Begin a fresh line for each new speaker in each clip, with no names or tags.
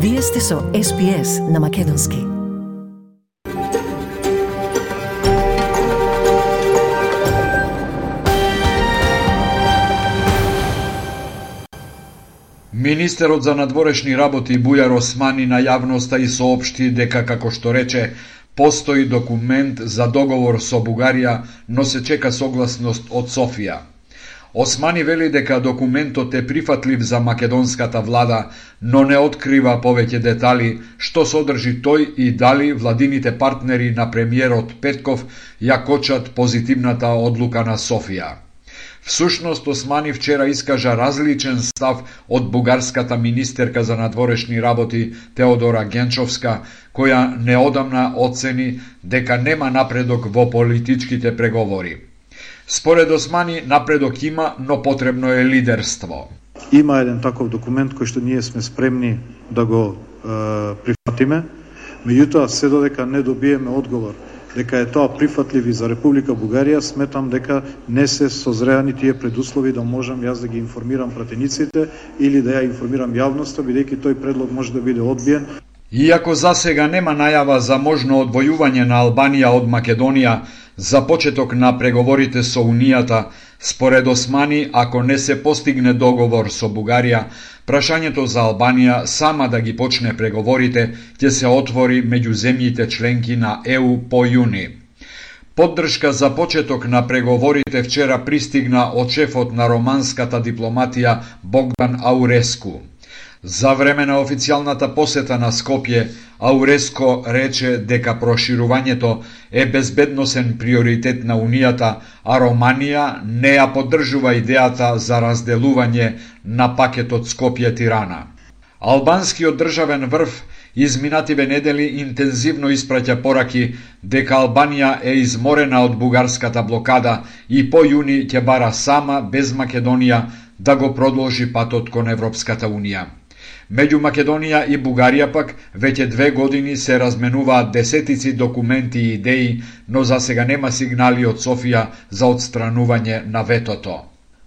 Вие сте со SPS на Македонски.
Министерот за надворешни работи Бујар Османи на јавноста и соопшти дека, како што рече, постои документ за договор со Бугарија, но се чека согласност од Софија. Османи вели дека документот е прифатлив за македонската влада, но не открива повеќе детали што содржи тој и дали владините партнери на премиерот Петков ја кочат позитивната одлука на Софија. Всушност, Османи вчера искажа различен став од бугарската министерка за надворешни работи Теодора Генчовска, која неодамна оцени дека нема напредок во политичките преговори. Според Османи, напредок има, но потребно е лидерство.
Има еден таков документ кој што ние сме спремни да го прифатиме, меѓутоа се додека не добиеме одговор дека е тоа прифатлив и за Република Бугарија, сметам дека не се созреани тие предуслови да можам јас да ги информирам пратениците или да ја информирам јавноста, бидејќи тој предлог може да биде одбиен.
Иако засега нема најава за можно одвојување на Албанија од Македонија за почеток на преговорите со Унијата, според Османи, ако не се постигне договор со Бугарија, прашањето за Албанија сама да ги почне преговорите ќе се отвори меѓу земјите членки на ЕУ по јуни. Поддршка за почеток на преговорите вчера пристигна од шефот на романската дипломатија Богдан Ауреску. За време на официјалната посета на Скопје, Ауреско рече дека проширувањето е безбедносен приоритет на Унијата, а Романија не ја поддржува идејата за разделување на пакетот Скопје-Тирана. Албанскиот државен врв изминативе недели интензивно испраќа пораки дека Албанија е изморена од бугарската блокада и по јуни ќе бара сама, без Македонија, да го продолжи патот кон Европската Унија. Меѓу Македонија и Бугарија пак веќе 2 години се разменуваат десетици документи и идеи, но засега нема сигнали од Софија за отстранување на ветото.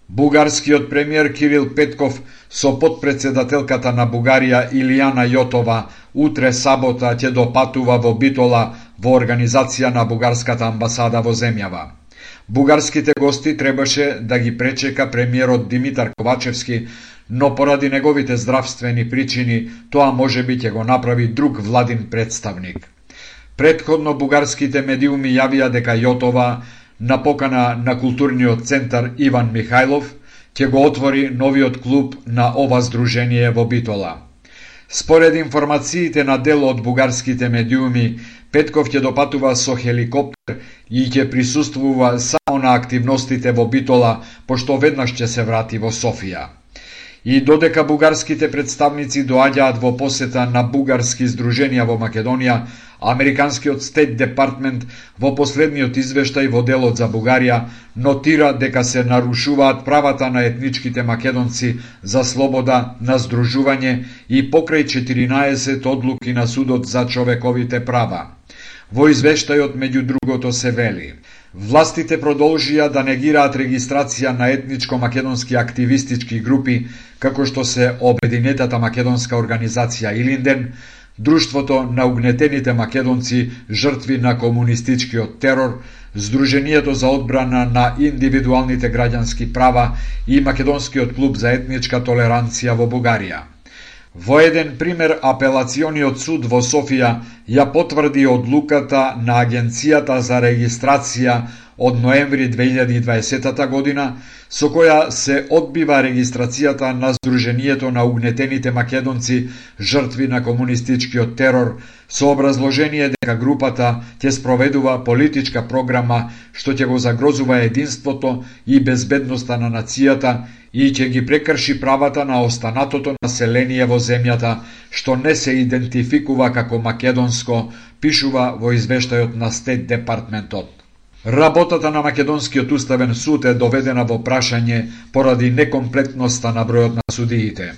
Бугарскиот премиер Кирил Петков со потпредседателката на Бугарија Илијана Јотова утре сабота ќе допатува во Битола во организација на бугарската амбасада во земјава. Бугарските гости требаше да ги пречека премиерот Димитар Ковачевски, но поради неговите здравствени причини тоа можеби ќе го направи друг владин представник. Претходно бугарските медиуми јавија дека Јотова на покана на културниот центар Иван Михајлов ќе го отвори новиот клуб на ова здружение во Битола. Според информациите на дел од бугарските медиуми, Петков ќе допатува со хеликоптер и ќе присуствува само на активностите во Битола, пошто веднаш ќе се врати во Софија. И додека бугарските представници доаѓаат во посета на бугарски здруженија во Македонија, Американскиот Стейт Департмент во последниот извештај во делот за Бугарија нотира дека се нарушуваат правата на етничките македонци за слобода на здружување и покрај 14 одлуки на Судот за човековите права. Во извештајот меѓу другото се вели: властите продолжија да негираат регистрација на етничко-македонски активистички групи, како што се Обединетата македонска организација Илинден, Друштвото на угнетените македонци жртви на комунистичкиот терор, Сдруженијето за одбрана на индивидуалните граѓански права и Македонскиот клуб за етничка толеранција во Бугарија. Во еден пример, апелациониот суд во Софија ја потврди одлуката на Агенцијата за регистрација од ноември 2020 година, со која се одбива регистрацијата на Сдруженијето на угнетените македонци жртви на комунистичкиот терор, со образложение дека групата ќе спроведува политичка програма што ќе го загрозува единството и безбедноста на нацијата и ќе ги прекрши правата на останатото население во земјата, што не се идентификува како македонско, пишува во извештајот на Стейт Департментот. Работата на Македонскиот уставен суд е доведена во прашање поради некомплетноста на бројот на судиите.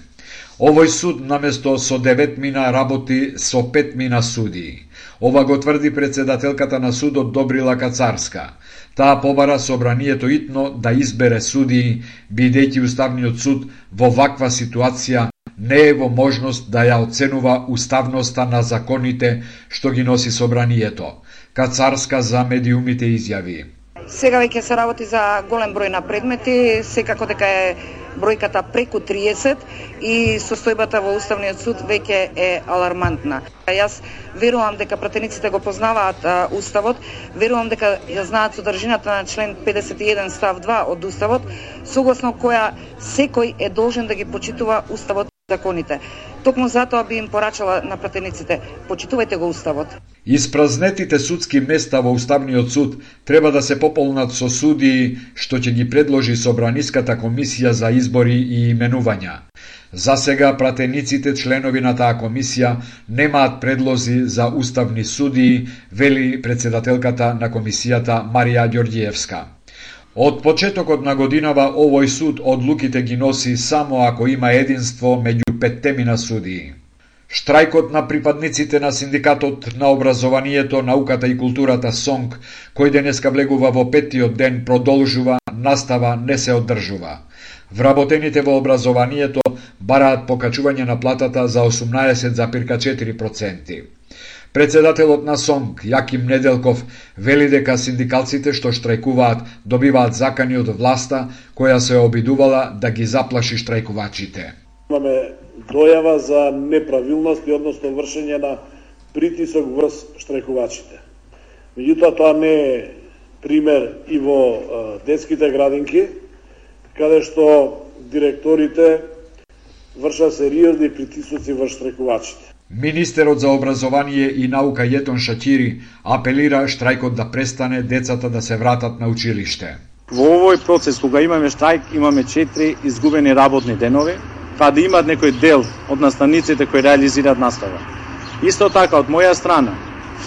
Овој суд наместо со 9 мина работи со 5 мина судии. Ова го тврди председателката на судот Добрила Кацарска. Таа побара собранието итно да избере судии, бидејќи Уставниот суд во ваква ситуација не е во можност да ја оценува уставноста на законите што ги носи собранието. Кацарска за медиумите изјави:
Сега веќе се работи за голем број на предмети, секако дека е бројката преку 30 и состојбата во Уставниот суд веќе е алармантна. Јас верувам дека пратениците го познаваат Уставот, верувам дека ја знаат содржината на член 51 став 2 од Уставот, согласно која секој е должен да ги почитува Уставот и законите. Токму затоа би им порачала на пратениците: почитувајте го Уставот.
Испразнетите судски места во Уставниот суд треба да се пополнат со судии што ќе ги предложи Собраниската комисија за избори и именувања. За сега пратениците членови на таа комисија немаат предлози за уставни судии, вели председателката на комисијата Марија Ѓорѓиевска. Од почетокот на годинава овој суд одлуките ги носи само ако има единство меѓу 5 судии. Штрајкот на припадниците на Синдикатот на образованието, науката и културата СОНК, кој денеска влегува во 5-тиот ден, продолжува, настава не се одржува. Вработените во образованието бараат покачување на платата за 18,4%. Председателот на СОНК, Јаким Неделков, вели дека синдикалците што штрајкуваат добиваат закани од власта, која се обидувала да ги заплаши штрајкувачите.
Имаме дојава за неправилности, односно вршење на притисок врз штрајкувачите. Меѓутоа, тоа не е пример и во детските градинки, каде што директорите вршат сериозни притисоци врз штрајкувачите.
Министерот за образование и наука Јетон Шакири апелира штрајкот да престане, децата да се вратат на училиште.
Во овој процес, кога имаме штрајк, имаме 4 изгубени работни денови, па да имат некој дел од наставниците кои реализираат настава. Исто така, од моја страна,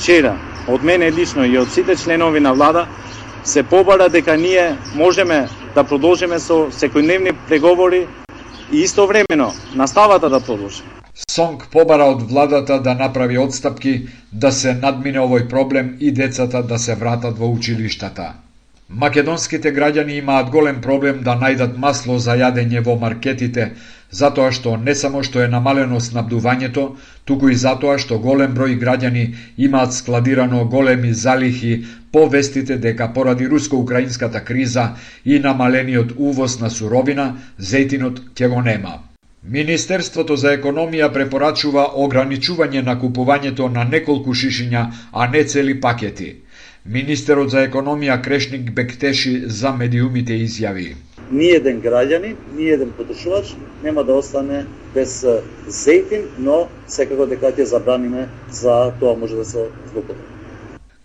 вчера, од мене лично и од сите членови на влада, се побара дека ние можеме да продолжиме со секојдневни преговори и истовремено наставата да продолжи.
СОНК побара од владата да направи отстапки, да се надмине овој проблем и децата да се вратат во училиштата. Македонските граѓани имаат голем проблем да најдат масло за јадење во маркетите, затоа што не само што е намалено снабдувањето, туку и затоа што голем број граѓани имаат складирано големи залихи по вестите дека поради руско-украинската криза и намалениот увоз на суровина, зејтинот ќе го нема. Министерството за економија препорачува ограничување на купувањето на неколку шишиња, а не цели пакети. Министерот за економија Крешник Бектеши за медиумите изјави:
Ниеден граѓанин, ниеден потрошувач нема да остане без зејтин, но секако дека ќе забраниме за тоа може да се злоупотреби.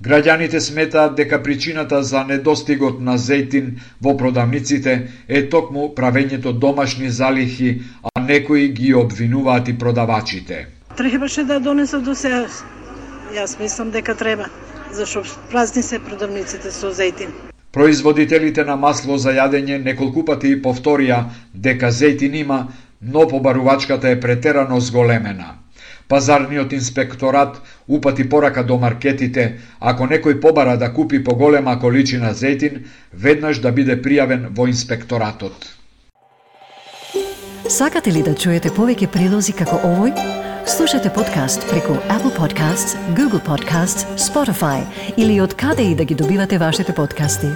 Граѓаните сметаат дека причината за недостигот на зејтин во продавниците е токму правењето домашни залихи, а некои ги обвинуваат и продавачите.
Требаше да донесат до сега. Јас мислам дека треба, зашто празни се продавниците со зејтин.
Производителите на масло за јадење неколку пати повторија дека зејтин има, но побарувачката е претерано зголемена. Пазарниот инспекторат упати порака до маркетите, ако некој побара да купи поголема количина зејтин, веднаш да биде пријавен во инспекторатот.
Сакате ли да чуете повеќе прилози како овој? Слушате подкаст преку Apple Podcasts, Google Podcasts, Spotify или од каде и да ги добивате вашите подкасти.